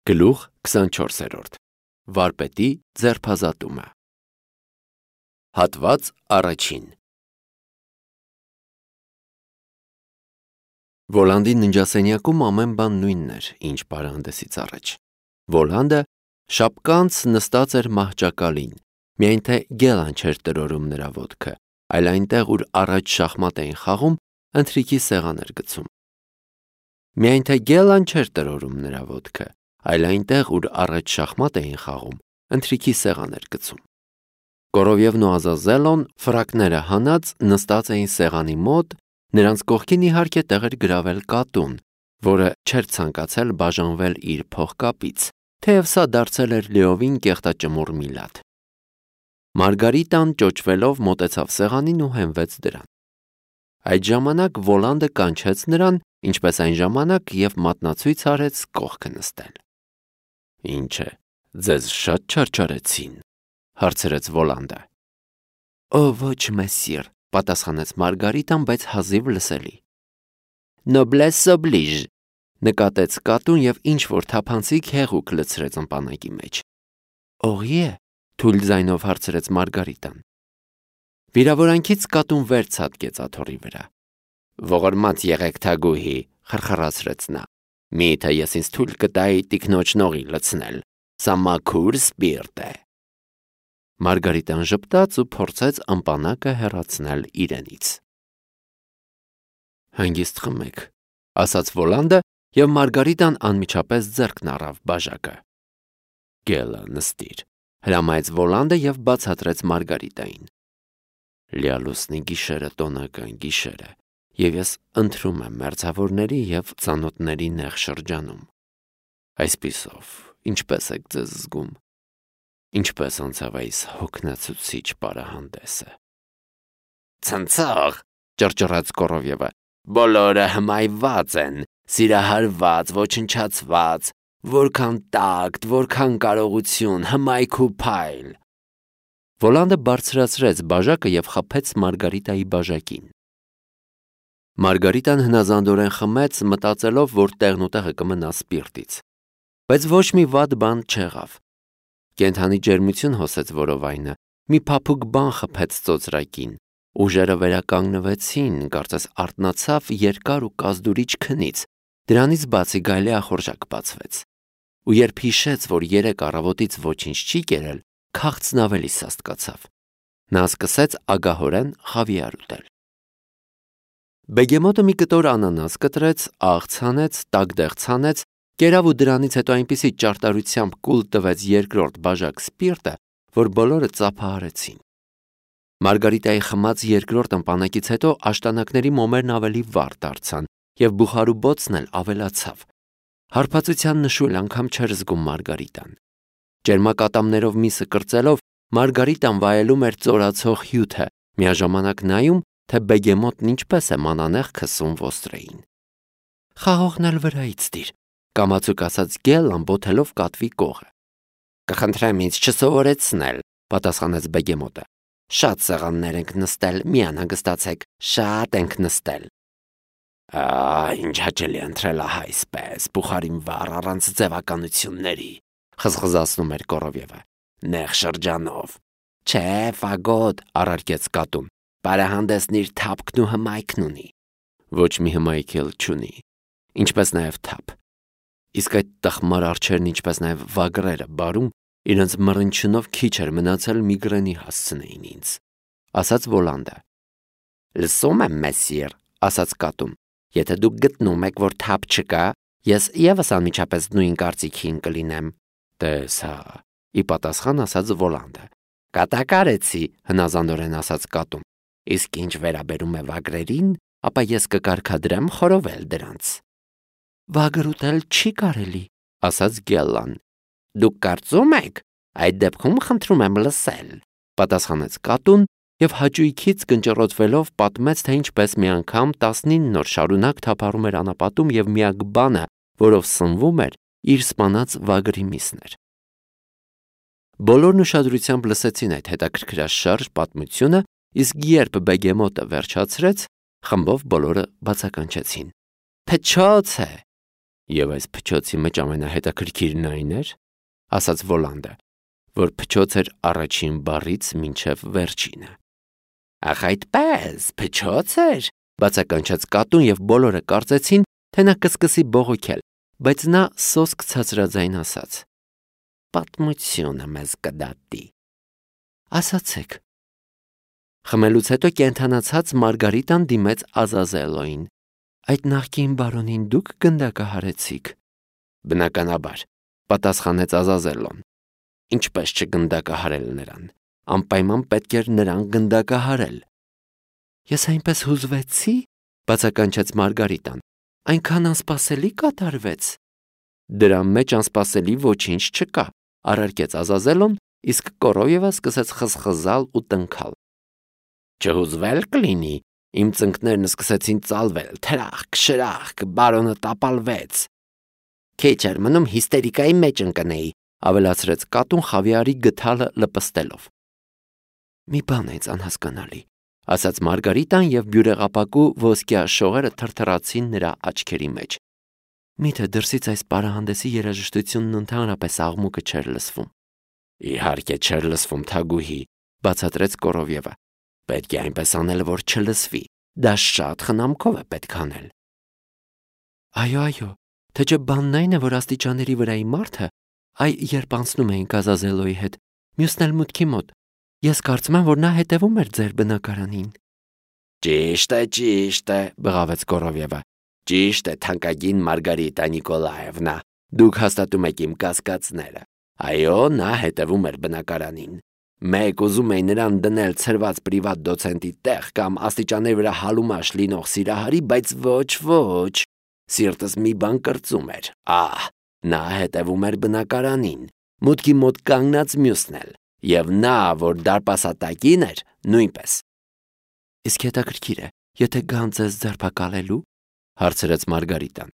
Գլուխ 24. Վարպետի ձերբազատումը։ Հատված առաջին։ Վոլանդի ննջասենյակում ամեն բան նույնն էր, ինչ պարահանդեսից առաջ։ Վոլանդը շապկանց նստած էր մահճակալին, միայն թե գելան չէր տրորում նրա ոտքը, այլ այնտեղ, ուր առաջ շախմատ էին խաղում, ընթրիքի սեղան էր գցում։ Միայն թե գելան չէր տրորում նրա ոտքը, այլ այնտեղ, ուր առաջ շախմատ էին խաղում, ընթրիքի սեղան էր գցում։ Կորովևն ու Ազազելոն ֆրակները հանած նստած էին սեղանի մոտ, նրանց կողքին իհարկե տեղ էր գրավել կատուն, որը չէր ցանկացել բաժանվել իր փողկապից, թեև սա դարձել էր լիովին կեղտաճմուռ միլատ։ Մարգարիտան ճոճվելով մոտեցավ սեղանին ու հենվեց դրան։ Այդ ժամանակ Վոլանդը կանչեց նրան, ինչպես այն ժամանակ, և մատնացույց արեց կողքը նստել։ Ինչ է, ձեզ շատ չարչարեցին, հարցրեց Վոլանդը։ Օ, ոչ, մեսիր, պատասխանեց Մարգարիտան, բայց հազիվ լսելի։ Noblesse oblige, նկատեց կատուն և ինչ-որ թափանցիկ հեղուկ լցրեց ըմպանակի մեջ։ Օղի է, թույլ ձայնով հարցրեց Մարգարիտան։ Վիրավորանքից կատուն վեր ցատկեց աթոռի վրա։ Ողորմած եղեք թագուհի, խրխրացրեց նա։ Միթե ես ինձ թույլ կտայի տիկնոջ նողի լցնել, սա մաքուր սպիրտ է։ Մարգարիտան ժպտաց ու փորձեց ըմպանակը հեռացնել իրենից։ Հանգիստ խմեք, ասաց Վոլանդը, և Մարգարիտան անմիջապես ձեռքն առավ բաժակը։ Գելը նստիր, հրամայեց Վոլանդը և բացատրեց Մարգարիտային։ Լիալուսնի գիշերը տոնական գիշեր է, և ես ընտրում եմ մերձավորների և ծանոթների նեղ շրջանում։ Այսպիսով, ինչպես եք ձեզ զգում։ Ինչպես անցավ այս հոգնեցուցիչ պարահանդեսը։ Ցնցող, ճռճռաց Կորովևը, բոլորը հմայված են, սիրահարված, ոչնչացված, որքան տակտ, որքան կարողություն, հմայք ու փայլ։ Վոլանդը բարձրացրեց բաժակը և խփեց Մարգարիտայի բաժակին։ Մարգարիտան հնազանդորեն խմեց, մտածելով, որ տեղն ու տեղը կմնա սպիրտից։ Բայց ոչ մի վատ բան չեղավ։ Կենդանի ջերմություն հոսեց որովայնը, մի փափուկ բան խփեց ծոծրակին, ուժերը վերականգնվեցին, կարծես արթնացավ երկար ու կազդուրիչ քնից, դրանից բացի գայլի ախորժակ բացվեց։ Ու երբ հիշեց, որ երեկ առավոտից ոչինչ չի կերել, քաղցն ավելի սաստկացավ։ Նա սկսեց ագահորեն խավիար ուտել։ Բեգեմոտը մի կտոր անանաս կտրեց, աղ ցանեց, տագդեղ ցանեց, կերավ ու դրանից հետո այնպիսի ճարտարությամբ կուլ տվեց երկրորդ բաժակ սպիրտը, որ բոլորը ծափահարեցին։ Մարգարիտայի խմած երկրորդ ըմպանակից հետո աշտանակների մոմերն ավելի վառ դարձան, և բուխարու բոցն էլ ավելացավ։ Հարբածության նշույլ անգամ չէր զգում Մարգարիտան։ Ջերմակատամներով միսը կրծելով, Մարգարիտան վայելում էր ծորացող հյութը, միաժամանակ նայում, թե բեգեմոտն ինչպես է մանանեխ քսում ոստրեին։ Խաղողն էլ վրայից դիր, կամացուկ ասաց Գելլան բոթելով կատվի կողը։ Կխնդրեմ ինձ չսովորեցնել, պատասխանեց բեգեմոտը։ Շատ սեղաններ ենք նստել, մի անհանգստացեք, շատ ենք նստել։ Ինչ հաճելի ընտրել ահա այսպես, բուխարին վառ առանց ձևականությունների, խզխզացնում էր Կորովևը։ Նեղ շրջանով։ Չէ, ֆագոտ, առարկեց կատուն։ Պարահանդեսն իր թափքն ու հմայքն ունի։ Ոչ մի հմայք էլ չունի, ինչպես նաև թափ։ Իսկ այդ տխմար արջերն, ինչպես նաև վագրերը բարում, իրենց մռնչյունով քիչ էր մնացել միգրենի հասցնեին ինձ, ասաց Վոլանդը։ Լսում եմ, մեսիր, ասաց կատուն, եթե դուք գտնում եք, որ թափ չկա, ես ևս անմիջապես նույն կարծիքին կլինեմ։ Տես հա, ի պատասխան ասաց Վոլանդը։ Կատակարեցի, հնազանդորեն ասաց կատուն։ Իսկ ինչ վերաբերում է վագրերին, ապա ես կկարգադրեմ խորովել դրանց։ Վագր ուտել չի կարելի, ասաց Գելլան։ Դուք կարծում եք, այդ դեպքում խնդրում եմ լսել, պատասխանեց կատուն և հաճույքից կնճռոտվելով պատմեց, թե ինչպես մի անգամ 19 օր շարունակ թափառում էր անապատում և միակ բանը, որով սնվում էր, իր սպանած վագրի միսն էր։ Բոլորն ուշադրությամբ լսեցին այդ հետաքրքրաշարժ պատմությունը, իսկ երբ բեգեմոտը վերջացրեց, խմբով բոլորը բացականչեցին. Փչոց է։ Եվ այս փչոցի մեջ ամենահետաքրքիրն այն էր, ասաց Վոլանդը, որ փչոց էր առաջին բառից մինչև վերջինը։ Ախ այդպես, փչոց էր, բացականչեց կատուն եւ բոլորը կարծեցին, թե նա կսկսի բողոքել, բայց նա սոսկ ցածրաձայն ասաց. Պատմությունը մեզ կդատի։ Ասացեք։ Խմելուց հետո կենթանացած Մարգարիտան դիմեց Ազազելոին. Այդ նախկին բարոնին դուք գնդակահարեցիք։ Բնականաբար, պատասխանեց Ազազելոն։ Ինչպես չգնդակահարել նրան, անպայման պետք էր նրան գնդակահարել։ Ես այնպես հուզվեցի, բացականչեց Մարգարիտան, այնքան անսպասելի կատարվեց։ Դրա մեջ անսպասելի ոչինչ չկա, առարկեց Ազազելոն, իսկ Կորովևը սկսեց խզխզալ ու տնքալ։ Չհուզվել կլինի, իմ ծնկներն սկսեցին ծալվել, թրախկ, շրախկ, բարոնը տապալվեց։ Քիչ էր մնում հիստերիկայի մեջ ընկնեի, ավելացրեց կատուն խավիարի գդալը լպստելով։ Մի բան է անհասկանալի, ասաց Մարգարիտան եւ բյուրեղապակու ոսկյա շողերը թրթռացին նրա աչքերի մեջ։ Միթե դրսից այս պարահանդեսի երաժշտությունն ընդհանրապես աղմուկը չէր լսվում։ Իհարկե չէր լսվում, Թագուհի, բացատրեց Կորովևը։ Պետք է այնպես անել, որ չլսվի։ Դա շատ խնամքով է պետք անել։ Այո, թե չէ բանն այն է, որ աստիճանների վրայի մարդը, երբ անցնում էինք Ազազելոյի հետ, մյուսն էլ մուտքի մոտ, ես կարծում եմ, որ նա հետևում էր ձեր բնակարանին։ Ճիշտ է, բղավեց Կորովևը։ Ճիշտ է, թանկագին Մարգարիտա Նիկոլաևնա, դուք հաստատում եք իմ կասկածները։ Այո, նա հետևում էր բնակարանին։ Մեկ ուզում էի նրան դնել ցրված պրիվատ դոցենտի տեղ կամ աստիճանների վրա հալումաշ լինող սիրահարի, բայց ոչ, սիրտս մի բան կրծում էր։ Նա հետևում էր բնակարանին, մուտքի մոտ կանգնած մյուսն էլ, եւ նա, որ դարպասատակին էր, նույնպես։ Իսկ հետաքրքիր է, եթե գան ձեզ ձերբակալելու, հարցրեց Մարգարիտան։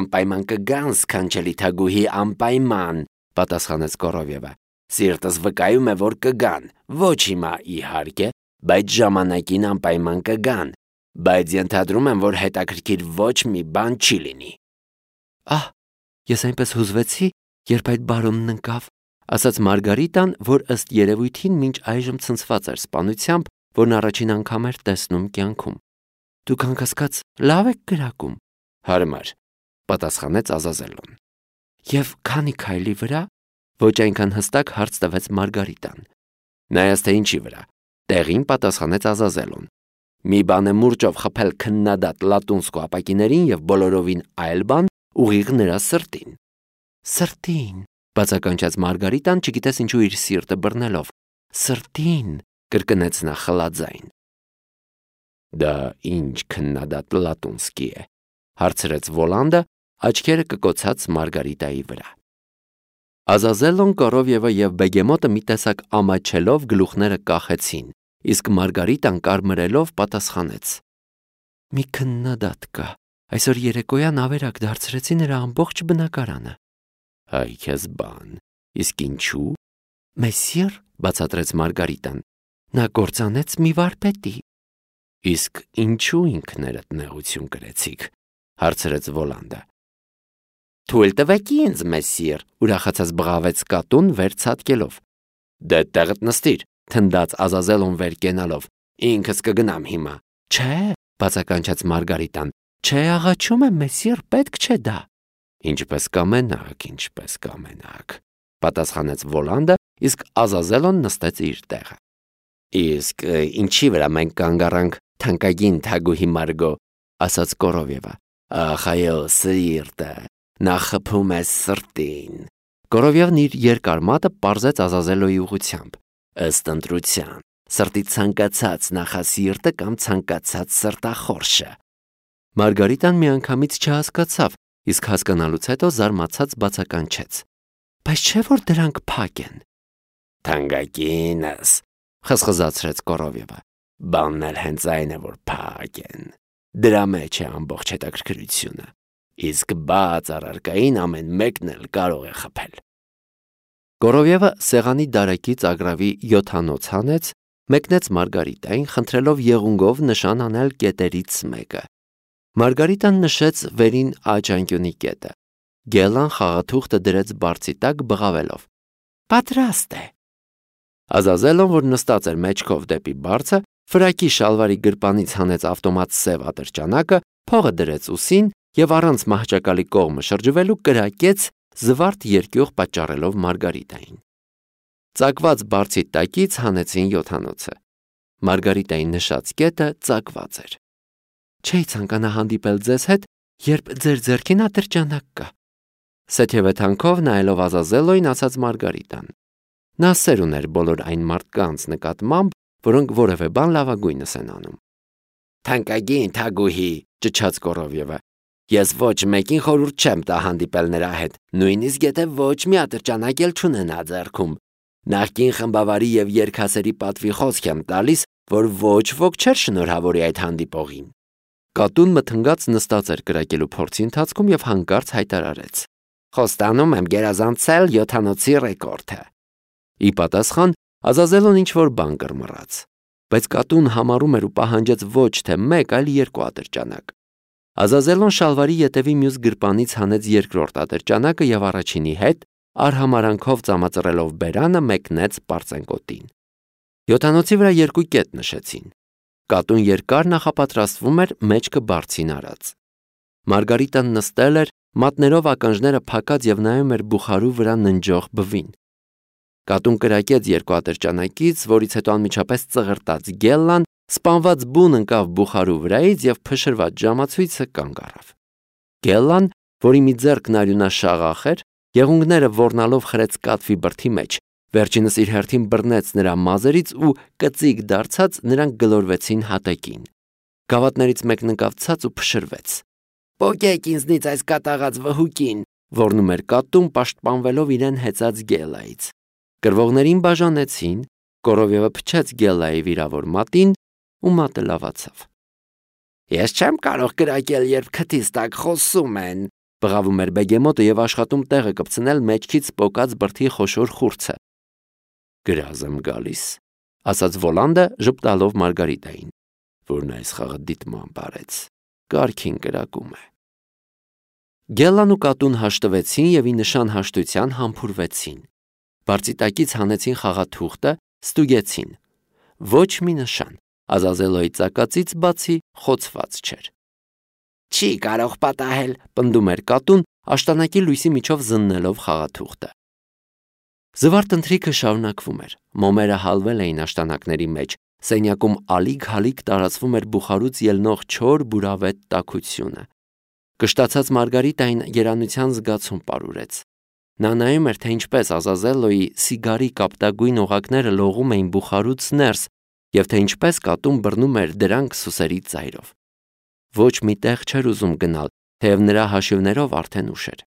Անպայման կգան, սքանչելի Թագուհի, անպայման, պատասխանեց Կորովևը։ Սիրտս վկայում է, որ կգան, ոչ հիմա իհարկե, բայց ժամանակին անպայման կգան, բայց ենթադրում եմ, որ հետաքրքիր ոչ մի բան չի լինի։ Ես այնպես հուզվեցի, երբ այդ բարոնն ընկավ, ասաց Մարգարիտան, որ ըստ երևույթին մինչ այժմ ցնցված էր սպանությամբ, որն առաջին անգամ էր տեսնում կյանքում։ Դուք անկասկած լավ եք գրակում։ Հարմար, պատասխանեց Ազազելոն։ Եվ քանի քայլի վրա, ոչ այնքան հստակ հարց տվեց Մարգարիտան։ Նայած թե ինչի վրա, տեղին պատասխանեց Ազազելոն։ Մի բան է մուրճով խփել քննադատ լատունսկո ապակիներին եւ բոլորովին այլ բան ուղիղ նրա սրտին։ Սրտին, բացականչեց Մարգարիտան, չգիտես ինչու իր սիրտը բռնելով։ Սրտին, կրկնեց նա խլաձայն։ Դա ինչ քննադատ լատունսկի է, հարցրեց Վոլանդը, աչքերը կկոցած Մարգարիտայի վրա։ Ազազելոն, Կորովևը եւ Բեգեմոտը մի տեսակ ամաչելով գլուխները կախեցին, իսկ Մարգարիտան կարմրելով պատասխանեց. Մի քննադատ կա, այսօր երեկոյան ավերակ դարձրեցի նրա ամբողջ բնակարանը։ Այ քեզ բան, իսկ ինչու։ Մեսիր, բացատրեց Մարգարիտան, նա կործանեց մի վարպետի։ Իսկ ինչու ինքներդ նեղություն կրեցիք, հարցրեց Վոլանդը։ Թույլ տվեք ինձ, մեսիր, ուրախացած բղավեց կատուն վեր ցատկելով։ Դե տեղդ նստիր, թնդաց Ազազելոն վեր կենալով։ Ինքս կգնամ հիմա։ Չէ, բացականչեց Մարգարիտան։ Չէ, աղաչում եմ, մեսիր, պետք չէ դա։ Ինչպես կամենաք, պատասխանեց Վոլանդը, իսկ Ազազելոն նստեց իր տեղը։ Իսկ ինչի վրա մենք կանգ առանք, թանկագին Թագուհի Մարգո, ասաց Կորովևը։ Ախ, այո, սիրտը, նա խփում է սրտին։ Կորովևն իր երկար մատը պարզեց Ազազելոյի ուղղությամբ։ Ըստ ընտրության, սրտի ցանկացած նախասիրտը կամ ցանկացած սրտախորշը։ Մարգարիտան միանգամից չհասկացավ, իսկ հասկանալուց հետո զարմացած բացականչեց. Բայց չէ՞ որ դրանք փակ են։ Թանկագինս, խզխզացրեց Կորովևը։ Բանն էլ հենց այն է, որ փակ են։ Դրա մեջ է ամբողջ հետաքրքրությունը։ Իսկ բաց առարկային ամեն մեկն էլ կարող է խփել։ Կորովևը սեղանի դարակից ագրավի 7-անոց հանեց, մեկնեց Մարգարիտային, խնդրելով եղունգով նշան անել կետերից մեկը։ Մարգարիտան նշեց վերին աջ անկյունի կետը։ Գելլան խաղաթուղթը դրեց բարձի տակ բղավելով. «Պատրաստ է»։ Ազազելոն, որ նստած էր մեջքով դեպի բարձը, ֆրակի շալվարի գրպանից հանեց ավտոմատ սև ատրճանակը, փողը դրեց ուսին և առանց մահճակալի կողմը շրջվելու կրակեց զվարթ երկյուղ պատճառելով Մարգարիտային։ Ծակված բարձի տակից հանեցին յոթանոցը։ Մարգարիտայի նշած կետը ծակված էր։ «Չէի ցանկանա հանդիպել ձեզ հետ, երբ ձեր ձեռքին ատրճանակ կա», սեթևեթանքով նայելով Ազազելոյին ասաց Մարգարիտան։ Նա սեր ուներ բոլոր այն մարդկանց նկատմամբ, որոնք որևէ բան լավագույնս են անում։ «Թանկագին թագուհի», ճչաց Կորովյևը, «ես ոչ մեկին խորհուրդ չեմ տա հանդիպել նրա հետ, նույնիսկ եթե ոչ մի ատրճանակ էլ չունենա ձեռքում։ Նախկին խմբավարի և երգասերի պատվի խոսք եմ տալիս, որ ոչ ոք չէր շնորհավորի այդ հանդիպողին»։ Կատուն մթնգած նստած էր կրակելու փորձի ընթացքում և հանկարծ հայտարարեց. «Խոստանում եմ գերազանցել յոթանոցի ռեկորդը»։ Ի պատասխան Ազազելոն ինչ-որ բան կռմռաց, բայց կատուն համառում էր ու պահանջեց ոչ թե մեկ, այլ երկու ատրճանակ։ Ազազելոն շալվարի ետևի մյուս գրպանից հանեց երկրորդ ատրճանակը և առաջինի հետ, արհամարանքով ծամածռելով բերանը, մեկնեց պարծենկոտին։ Յոթանոցի վրա երկու կետ նշեցին։ Կատուն երկար նախապատրաստվում էր մեջքը բարձին արած։ Մարգարիտան նստել էր, մատներով ականջները փակած և նայում էր բուխարու վրա ննջող բվին։ Կատուն կրակեց երկու ատրճանակից, որից հետո անմիջապես ծղրտաց Գելլան, սպանված բուն ընկավ բուխարու վրայից և փշրված ժամացույցը կանգ առավ։ Գելլան, որի մի ձեռքն արյունաշաղախ էր, եղունգները ոռնալով խրեց կատվի բրդի մեջ, վերջինս իր հերթին բռնեց նրա մազերից ու կծիկ դարձած նրանք գլորվեցին հատակին։ Գավաթներից մեկն ընկավ ցած ու փշրվեց։ «Պոկեք ինձնից այս կատաղած վհուկին», ոռնում էր կատուն, պաշտպանվելով իրեն հեծած Գելլայից։ Կռվողներին բաժանեցին, Կորովյևը փչեց Գելլայի վիրավոր մատին ու մատը լավացավ։ «Ես չեմ կարող կրակել, երբ քթից տակ խոսում են», բղավում էր բեգեմոտը և աշխատում տեղը կպցնել մեջքից պոկած բրդի խոշոր խուրձը։ «Գրազ եմ գալիս», ասաց Վոլանդը ժպտալով Մարգարիտային, որն այս խաղը դիտմամբ արեց, կարգին կրակում է։ Գելլան ու կատուն հաշտվեցին և ի նշան հաշտության համբուրվեցին։ Բարձի տակից հանեցին խաղաթուղթը, ստուգեցին։ Ոչ մի նշան, Ազազելոյի ծակածից բացի խոցված չէր։ «Չի կարող պատահել», պնդում էր կատուն, աշտանակի լույսի միջով զննելով խաղաթուղթը։ Զվարթ ընթրիքը շարունակվում էր։ Մոմերը հալվել էին աշտանակների մեջ, սենյակում ալիք-հալիք տարածվում էր բուխարուց ելնող չոր բուրավետ տաքությունը։ Կշտացած Մարգարիտային երանության զգացում պարուրեց։ Նա նայում էր, թե ինչպես Ազազելոյի սիգարի կապտագույն օղակները լողում էին բուխարուց ներս և թե ինչպես կատուն բռնում էր դրանք սուսերի ծայրով։ Ոչ մի տեղ չէր ուզում գնալ, թեև նրա հաշիվներով արդեն ուշ էր։